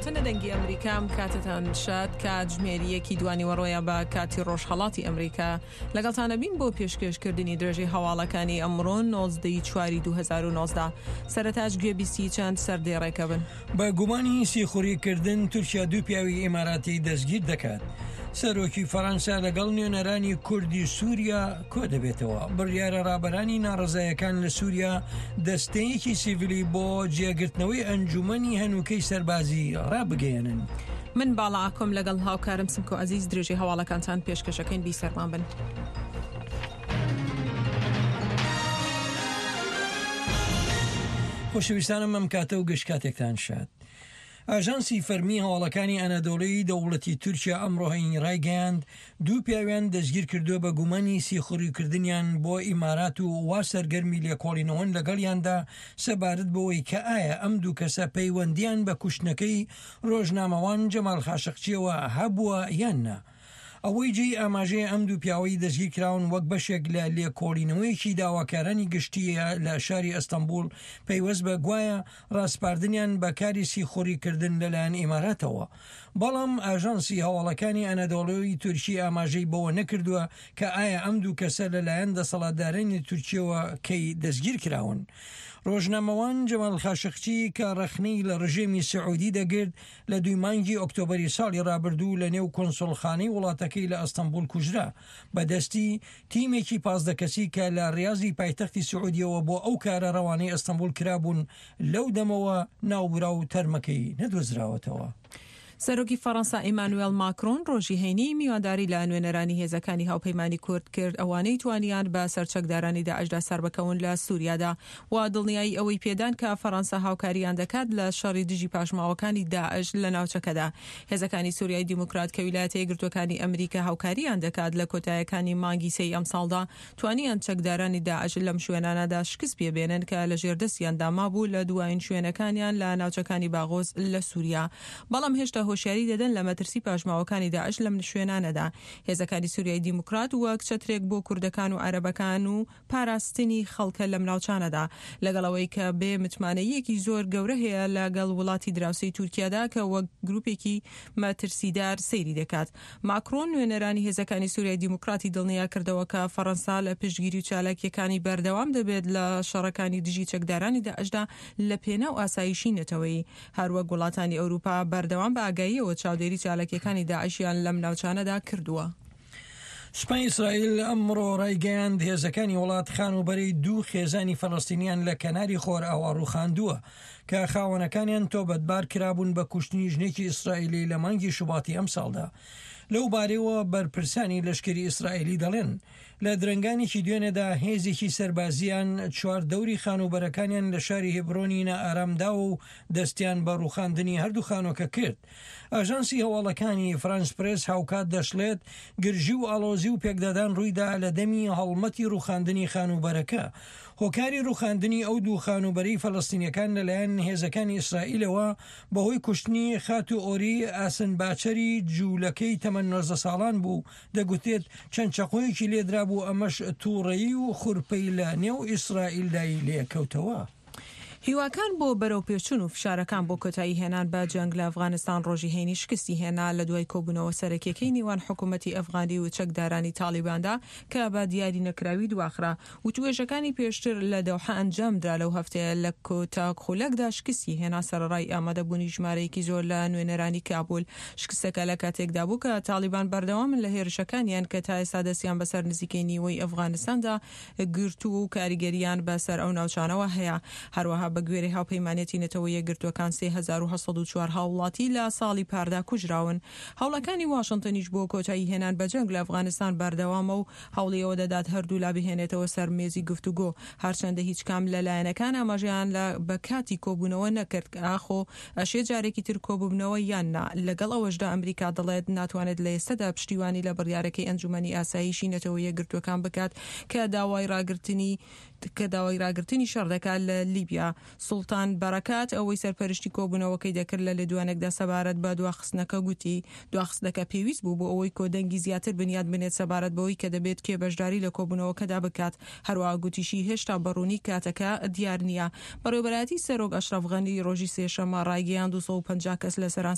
واشنتن دەنگی ئەمریکا ئەم کاتتان شاد کاتژمێری یەکی دوانیوەڕۆیە بە کاتی ڕۆژهەڵاتی ئەمریکا لەگەڵتانە بین بۆ پێشکێشکردنی درێژەی هەواڵەکانی ئەمڕۆ 19 ی چواری 2019 سەرەتاش گوێبیستی چەند سەردێڕێکە بن. بە گومانی سیخوڕی کردن تورکیا دوو پیاوی ئیماراتی دەستگیر دەکات. سەرۆکی فەرەنسا لەگەڵ نوێنەرانی کوردی سووریا کۆدەبێتەوە. بڕیارە ڕابەرانی ناڕەزایەکان لە سووریا دەستەیەکی سیڤیلی بۆ جێگرتنەوەی ئەنجوومەنی هەنووکەی سەربازی ڕابگەیەنن. من باڵا ئاکۆم لەگەڵ هاوکارم سمکۆ عەزیز درێژەی هەواڵەکانتان پێشکەشەکەین بیسەرمان بن. خۆشەویستانم ئەم کاتە و گشت کاتێکتان شاد. ئاژانسی فەرمی هەواڵەکانی ئەنەدۆڵی دەوڵەتی تورکیا ئەمڕۆ هەینی ڕایگەیاند دوو پیاویان دەستگیر کردووە بە گومانی سیخوڕیکردنیان بۆ ئیمارات و وا سەرگەرمی لێکۆڵینەوەن لەگەڵیاندا سەبارەت بەوەی کە ئایا ئەم دوو کەسە پەیوەندیان بە کوشتنەکەی ڕۆژنامەوان جەمال خاشقچیەوە هەبووە یان نا. ئەوەی جێی ئاماژەیە ئەم دوو پیاوەی دەستگیرکراون وەک بەشێک لە لێکۆڵینەوەیەکی داواکارانی گشتییە لە شاری ئەستەنبوڵ پەیوەست بە گوایە ڕاسپاردنیان بە کاری سیخوڕی کردن لەلایەن ئیماراتەوە. بەڵام ئاژانسی هەواڵەکانی ئەنەدۆڵۆی تورکی ئاماژەی بەوە نەکردووە کە ئایا ئەم دوو کەسە لەلایەن دەسەڵاتدارانی تورکیەوە کەی دەستگیرکراون. ڕۆژنامەوان جەمال خاشقچی کە ڕەخنەی لە ڕژێمی سعودی دەگرت لە دووی مانگی ئۆکتۆبەری ساڵی ڕابردوو لە نێو کونسوڵخانەی وڵاتەکەی لە ئەستەنبوڵ کوژرا بە دەستی تیمێکی 15 کەسی کە لە ڕیازی پایتەختی سعودیەوە بۆ ئەو کارە ڕەوانەی ئەستەنبوڵ کرابوون، لەو دەمەوە ناوبراو تەرمەکەی نەدۆزراوەتەوە. سەرۆکی فەڕەنسا ئیمانوێڵ ماکرۆن ڕۆژی هەینی میوانداری لە نوێنەرانی هێزەکانی هاوپەیمانی کورد کرد ئەوانەی توانیان بە سەر چەکدارانی داعشدا سەربکەون لە سوریادا و دڵنیایی ئەوەی پێدان کە فەڕەنسا هاوکاریان دەکات لە شەڕی دژی پاشماوەکانی داعش لە ناوچەکەدا. هێزەکانی سوریای دیموکرات کە ویلایەتە یەکگرتووەکانی ئەمریکا هاوکاریان دەکات لە کۆتایەکانی مانگی سێی ئەمساڵدا توانیان چەکدارانی داعش لەم شوێنانەدا شکست پێ بێنن کە لە ژێر دەستیاندا مابوو لە دوایین شوێنەکانیان لە ناوچەکانی باغۆز لە سوریا بەڵام هێشتا هۆشیاری دەدەن لە مەترسی پاشماوەکانی داعش لەم شوێنانەدا. هێزەکانی سوریای دیموکرات وەک چەترێک بۆ کوردەکان و عەرەبەکان و پاراستنی خەڵکە لەم ناوچانەدا، لەگەڵ ئەوەی کە بێ متمانەییەکی زۆر گەورە هەیە لە گەڵ وڵاتی دراوسێی تورکیادا کە وەک گروپێکی مەترسیدار سەیری دەکات. ماکرۆن نوێنەرانی هێزەکانی سوریای دیموکراتی دڵنیا کردەوە کە فەڕەنسا لە پشتگیری و چالاکییەکانی بەردەوام دەبێت لە شەڕەکانی دژی چەکدارانی داعشدا لە پێناو ئاسایشی نەتەوەیی. هەروەک وڵاتانی ئەوروپا بەردەوام بە ئاگاییەوە چاودێری چالاکییەکانی داعشیان لەم ناوچانەدا کردووە. سوپای ئیسرائیل ئەمڕۆ ڕایگەیاند، هێزەکانی وڵات خانووبەرەی دوو خێزانی فەلەستینیان لە کەناری خۆرئاوا ڕووخاندووە کە خاوەنەکانیان تۆبەتبار کرابوون بە کوشتنی ژنێکی ئیسرائیلی لە مانگی شوباتی ئەمساڵدا. لەو بارەیەوە بەرپرسانی لەشکری ئیسرائیلی دەڵێن، لە درەنگانێکی دوێنێدا هێزێکی سەربازییان چواردەوری خانووبەرەکانیان لە شاری هێبرۆنی نائارام داوە و دەستیان بە ڕووخاندنی هەردوو خانووەکە کرد. ئاژانسی هەواڵەکانی فرانس پرێس هاوکات دەشڵێت، گرژی و ئاڵۆزی و پێکدادان ڕوویدا لە دەمی هەڵمەتی ڕووخاندنی خانووبەرەکە. هۆکاری ڕووخاندنی ئەو دوو خانووبەرەی فەلەستینیەکان لەلایەن هێزەکانی ئیسرائیلەوە بەهۆی کوشتنی خاتوو ئۆری ئاسنباچەری جوولەکەی تەمەن 19 ساڵان بوو، دەگوترێت چەند چەقۆیەکی لێدرابوو ئەمەش تووڕەیی و خورپەی لە نێو ئیسرائیلدای لێکەوتەوە. هیواکان بۆ بەرەوپێشچوون و فشارەکان بۆ کۆتایی هێنان بە جەنگ لە ئەفغانستان ڕۆژی هەینی شکستی هێنا لە دوای کۆبوونەوە سەرەکیەکەی نێوان حکوومەتی ئەفغانی و چەکدارانی تاڵیباندا کە بە دیاری نەکراوی دواخرا. وتووێژەکانی پێشتر لە دەوحە ئەنجامدرا لەو هەفتەیە لە کۆتا خولەکدا شکستی هێنا سەرەڕای ئامادەبوونی ژمارەیەکی زۆر لە نوێنەرانی کابول. شکستەکە لە کاتێکدا بوو کە تاڵیبان بەردەوامن لە هێرشەکانیان کە تا ئێستا دەستیان بەسەر نزیکەی نیوەی ئەفغانستاندا گرتووە و کاریگەرییان بە سەر ئەو ناوچانەوە هەیە. هەروەها بە گوێرەی هاوپەیمانێتی نەتەوە یەکگرتووەکان 3804 هاووڵاتی لە ساڵی پاردا کوژراون. هەوڵەکانی واشنتنیش بۆ کۆتایی هێنان بە جەنگ لە ئەفغانستان بەردەوامە و هەوڵی ئەوە دەدات هەردوولا بهێنێتەوە سەر مێزی گفتوگۆ. هەرچەندە هیچ کام لە لایەنەکان ئاماژەیان لە بە کاتی کۆبوونەوە نەکرد کە ئاخۆ ئەشێ جارێکی تر کۆببنەوە یان نا، لەگەڵ ئەوەشدا ئەمریکا دەڵێت ناتوانێت لە ئێستەدا پشتیوانی لە بڕیارەکەی ئەنجومەنی ئاسایشی نەتەوە یەکگرتووەکان بکات کە داوای ڕاگرتنی کە داوای ڕاگرتنی شەڕ دەکات لە لیبیا. سوڵتان بەرەکات ئەوەی سەرپەرشتی کۆبوونەوەکەی دەکرد لە لێدوانێکدا سەبارەت بە دواخستنەکە گوتی، دواخستنەکە پێویست بوو بۆ ئەوەی کۆدەنگی زیاتر بنیات بنێت سەبارەت بەوەی کە دەبێت کێ بەشداری لە کۆبوونەوەکەدا بکات. هەروەها گوتیشی هێشتا بە ڕوونی کاتەکە دیار نییە. بەڕێوەبەرایەتی سەرۆک ئەشرەف غەنی ڕۆژی سێشەممە ڕایگەیاند 250 کەس لە سەرانسەری.